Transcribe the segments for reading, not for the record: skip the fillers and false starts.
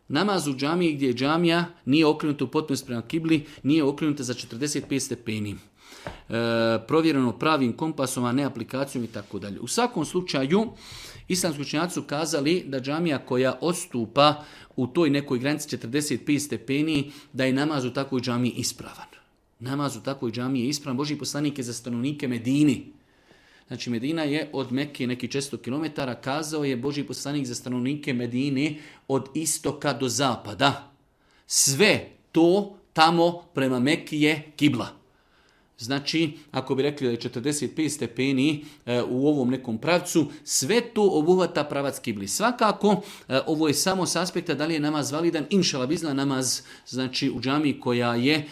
Namaz u džamiji gdje je džamija nije okrenuta u potpunosti prema kibli, nije okrenuta za 45 stepeni. Provjereno pravim kompasom, a ne aplikacijom i tako dalje. U svakom slučaju, islamski učenjaci su kazali da džamija koja odstupa u toj nekoj granici 45 stepeni, da je namaz u takvoj džamiji ispravan. Namaz u takvoj džamiji je ispravan. Božji poslanik je za stanovnike Medini. Znači Medina je od Mekke neki 400 km, kazao je Božji poslanik za stanovnike Medine od istoka do zapada. Sve to tamo prema Mekki je kibla. Znači, ako bi rekli da je 45 stepeni u ovom nekom pravcu, sve to obuhvata pravac kibli. Svakako, ovo je samo s aspekta da li je namaz validan, inšala bizna namaz, znači u džamiji koja je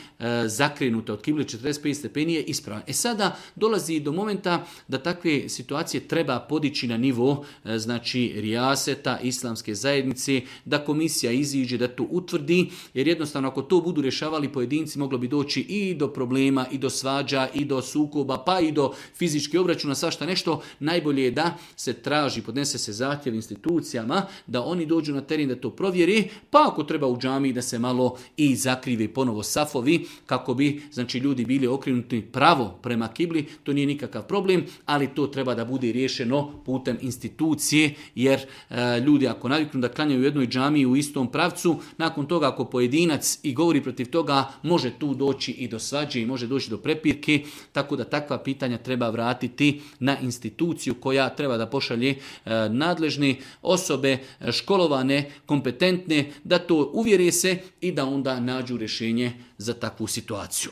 zakrenuta od kibli 45 stepeni je ispravan. Sada dolazi do momenta da takve situacije treba podići na nivo, znači rijaseta, islamske zajednice, da komisija iziđe, da to utvrdi, jer jednostavno ako to budu rješavali pojedinci, moglo bi doći i do problema, i do svađa, i do sukoba, pa i do fizičkih obračuna, svašta nešto. Najbolje je da se traži, podnese se zahtjev institucijama, da oni dođu na teren da to provjeri, pa ako treba u džamiji da se malo i zakrive ponovo safovi, kako bi znači ljudi bili okrenuti pravo prema kibli, to nije nikakav problem, ali to treba da bude riješeno putem institucije, jer ljudi ako naviknu da klanjaju u jednoj džamiji u istom pravcu, nakon toga ako pojedinac i govori protiv toga, može tu doći i do svađe i može doći do prepirke, tako da takva pitanja treba vratiti na instituciju koja treba da pošalje nadležne osobe, školovane, kompetentne, da to uvjere se i da onda nađu rješenje za takvu situaciju.